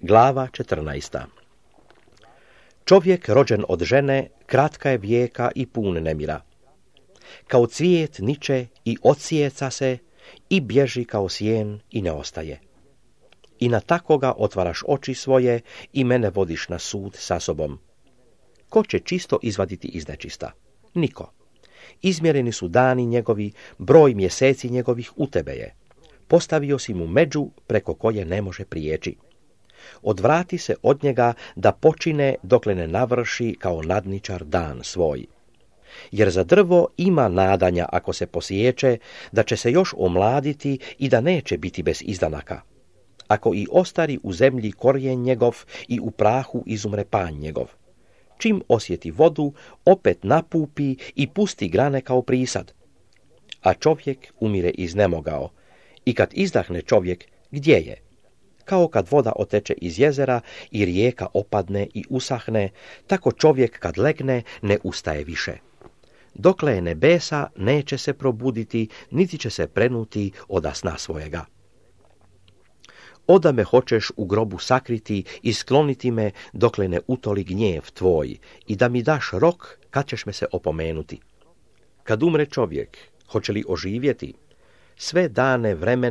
Glava 14. Čovjek rođen od žene kratka je vijeka i pun nemira. Kao cvijet niče i odsjeca se i bježi kao sjen i ne ostaje. I na takoga otvaraš oči svoje i mene vodiš na sud sa sobom. Ko će čisto izvaditi iz nečista? Niko. Izmjereni su dani njegovi, broj mjeseci njegovih u tebe je. Postavio si mu među preko koje ne može prijeći. Odvrati se od njega da počine dokle ne navrši kao nadničar dan svoj. Jer za drvo ima nadanja ako se posiječe, da će se još omladiti i da neće biti bez izdanaka. Ako i ostari u zemlji korijen njegov i u prahu izumre panj njegov. Čim osjeti vodu, opet napupi i pusti grane kao prisad. A čovjek umire iznemogao. I kad izdahne čovjek, gdje je? Kao kad voda oteče iz jezera i rijeka opadne i usahne, tako čovjek kad legne ne ustaje više. Dokle je nebesa, neće se probuditi, niti će se prenuti oda sna svojega. Oda me hoćeš u grobu sakriti i skloniti me dokle ne utoli gnjev tvoj i da mi daš rok kad ćeš me se opomenuti. Kad umre čovjek, hoće li oživjeti? Sve dane vremena